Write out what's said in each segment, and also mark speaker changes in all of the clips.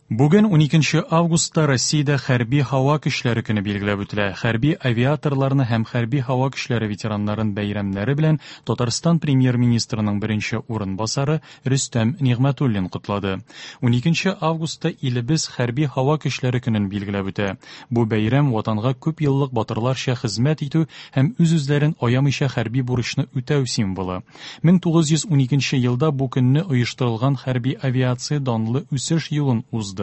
Speaker 1: Бүген 12 августта Россиядә хәрби һава көчләре көне билгеләп үтелә. Хәрби авиаторларны һәм хәрби һава көчләре ветераннарын бәйрәмнәре белән Татарстан премьер-министрының беренче урынбасары Рөстәм Нигъмәтуллин котлады. 12 августта илебез хәрби һава көчләре көнен билгеләп үтә. Бу бәйрәм ватанга күп еллык батырларча хезмәт итү һәм үз-үзләрен аямыйча хәрби бурычны үтәү символы. 1912 елда бу көнне оештырылган хәрби авиация данлы үсеш юлын узды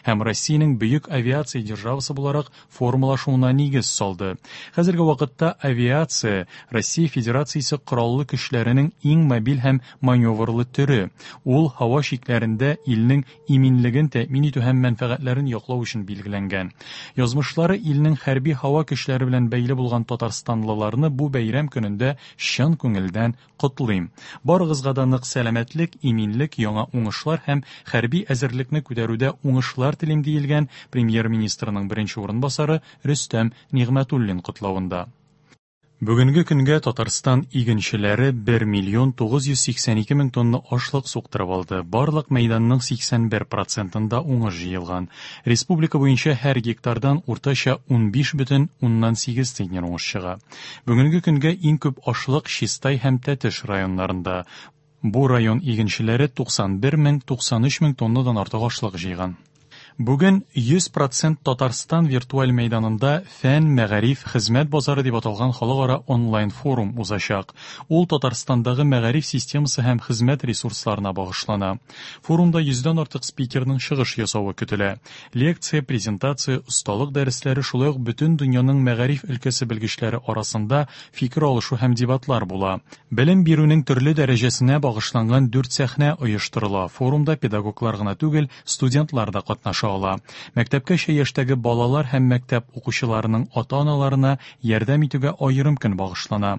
Speaker 1: һәм Россиянең бөек авиация державасы буларак формалашуына нигез салды. Хәзерге вакытта авиация Россия Федерациясе кораллы көчләренең иң мобиль һәм маневрлы төре. Ул һава чикләрендә илнең иминлеген тәэмин итү һәм мәнфәгатьләрен яклау өчен билгеләнгән. Язмышлары илнең хәрби һава көчләре белән бәйле булган татарстанлыларны бу бәйрәм көнендә чын күңелдән котлыйм. Барыгызга да нык сәламәтлек, иминлек, яңа уңышлар һәм хәрби әзерлекне күтәрүдә уңышлар телим, диелгән премьер-министрның беренче урынбасары Рөстәм Нигъмәтуллин котлавында. Бүгенге көнгә Татарстан игенчеләре 1 миллион 982 мең тонна ашлык суктырып алды. Барлык мәйданның 81 процентында уңыш җыелган. Республика буенча һәр гектардан уртача 15,8 центнер уңыш чыга. Бүгенге көнгә иң күп ашлык Чистай һәм Тәтеш районнарында. Бу район игенчеләре 91 мең 93 мең тоннадан артык ашлык җыйган. Бүген 100% Татарстан виртуаль мәйданында Фән, мәгариф, хезмәт базары дип аталган халыкара онлайн-форум узачак. Ул Татарстандагы мәгариф системасы һәм хезмәт ресурсларына багышлана. Форумда йөздән артык спикерның чыгыш ясавы көтелә. Лекция, презентация, осталык дәресләре, шулай ук бөтен дөньяның мәгариф өлкәсе белгечләре арасында фикер алышу һәм дебатлар була. Белем бирүнең төрле дәрәҗәсенә багышланган дүрт сәхнә оештырыла. Форумда педагоглар гына түгел, студентлар да катнаша ала. Мәктәпкәчә яшьтәге балалар һәм мәктәп укучыларының ата-аналарына ярдәм итүгә аерым көн багышлана.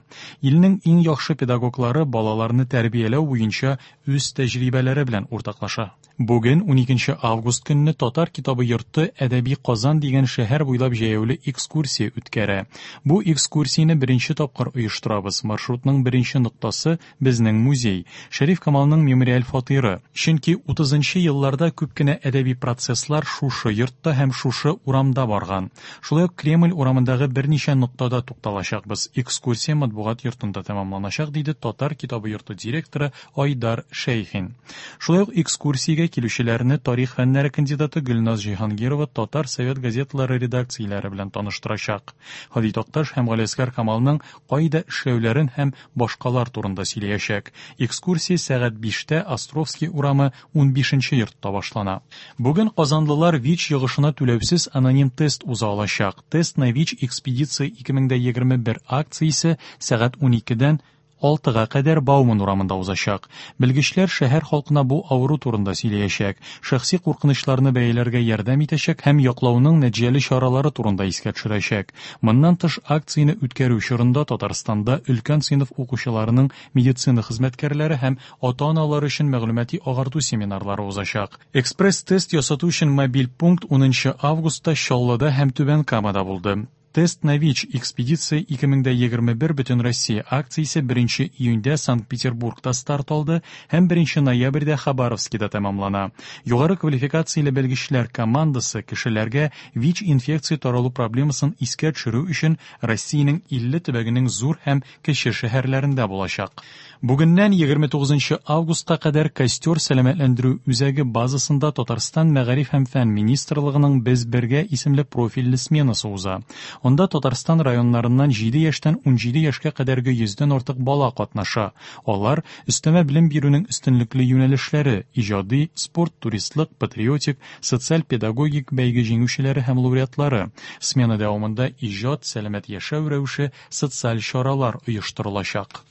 Speaker 1: Илнең иң яхшы педагоглары балаларны тәрбияләү буенча үз тәҗрибәләре белән уртаклаша. Бүген, 12 август көнне Татар китабы йорты Әдәби Казан дигән шәһәр буйлап җәяүле экскурсия үткәрә. Бу экскурсияне беренче тапкыр оештырабыз. Маршрутның беренче ноктасы безнең музей, Шәриф Камалның мемориаль фатиры. Чөнки 30 елларда күп кенә әдәби процесслар шушы йортта һәм шушы урамда барган. Шулай ук Кремль урамындагы берничә ноктада тукталачакбыз. Экскурсия матбугат йортында тәмамланачак, диде Татар китабы йорты директоры Айдар Шәйхин. Шулай ук экскурсиягә килүчеләрне тарих фәннәре кандидаты Гөлназ Җиһангирова татар совет газеталары редакцияләре белән таныштырачак. Һади Такташ һәм Галиәсгар Камалның кайда эшләүләрен һәм башкалар турында сөйләячәк. Экскурсия сәгать биштә Островский урамы 15 йортта башлана. Бүген казанлылар ВИЧ йогышына түләүсез аноним тест уза алачак. Тест на ВИЧ экспедиция 2021 акциясе сәгать 12-дән 6-га кадәр Бауман урамында узачак. Белгечләр шәһәр халкына бу авыру турында сөйләячәк, шәхси куркынычларны бәяләргә ярдәм итәчәк һәм яклауның нәтиҗәле чаралары турында искә төшерәчәк. Моннан тыш, акцияне үткәрү чорында Татарстанда өлкән сыйныф укучыларының медицина хезмәткәрләре һәм ата-аналары өчен мәгълүмати агарту семинарлары узачак. Экспресс-тест ясату өчен мобиль пункт 10 августта Чаллыда һәм Түбән Камада булды. Тест на ВИЧ экспедиция 2021 Бөтенроссия акциясе 1 июньдә Санкт-Петербургта старт алды һәм 1 ноябрьдә Хабаровскида тәмамлана. Югары квалификацияле белгечләр командасы кешеләргә ВИЧ-инфекция таралу проблемасын искә төшерү өчен Россиянең 50 төбәгенең зур һәм кече шәһәрләрендә булачак. Бүгеннән 29 августка кадәр Костер сәламәтләндерү үзәге базасында Татарстан Мәгариф һәм фән министрлыгының Без бергә исемле профильле сменасы уза. Анда Татарстан районнарыннан 7 яшьтән 17 яшькә кадәрге 100дән артык бала катнаша. Алар өстәмә белем бирүнең өстенлекле юнәлешләре, иҗади, спорт, туристлык, патриотик, социаль-педагогик бәйге җиңүчеләре һәм лауреатлары. Смена дәвамында иҗат, сәламәт яшәү рәвеше, социаль чаралар оештырылачак.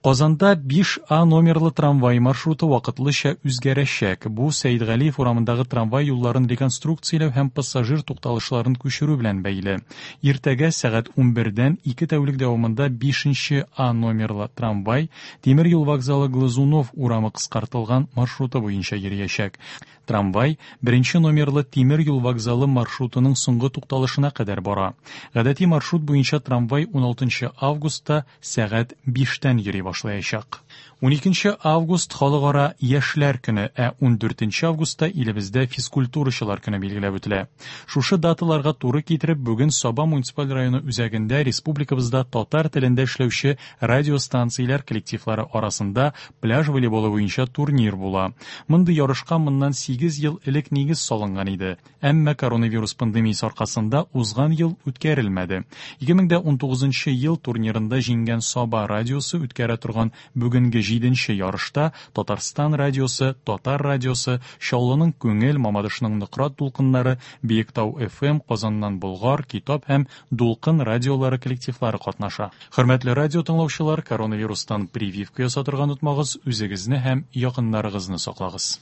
Speaker 1: Казанда 5А номерлы трамвай маршруты вакытлыча үзгәрәчәк. Бу Сәидгалиев урамындагы трамвай юлларын реконструкцияләү һәм пассажир тукталышларын күчерү белән бәйле. Иртәгә сәгать 11-дән 2 тәүлек дәвамында 5 А номерлы трамвай Тимер юл вокзалы Глазунов урамы кыскартылган маршруты буенча йөриячәк. Трамвай беренче номерлы тимер юл вокзалы маршрутының соңгы тукталышына кадәр бара. Гадәти маршрут буенча трамвай 16 августта сәгать 5-тән йөри башлаячак. 12 август Халыкара яшьләр көне, ә 14 августта илебездә физкультурачылар көне билгеләп үтелә. Шушы даталарга туры китереп, бүген Саба муниципаль районы үзәгендә республикабызда татар телендә эшләүче радиостанцияләр коллективлары арасында пляж волейболы буенча турнир була. Мондый ярышка моннан 8 ел элек нигез салынган иде. Әмма коронавирус пандемиясе аркасында узган ел үткәрелмәде. 2019 ел турнирында җиңгән Саба радиосы үткәрә торган бүгенге 7 ярышта Татарстан радиосы, Татар радиосы, Чаллының Күңел, Мамадышның Нократ дулкыннары, Биектау FM, Казаннан Болгар, Китап һәм Дулкын радиолары коллективлары катнаша. Хөрмәтле радио тыңлаучылар, коронавирустан прививка ясатырга онытмагыз, үзегезне һәм якыннарыгызны саклагыз.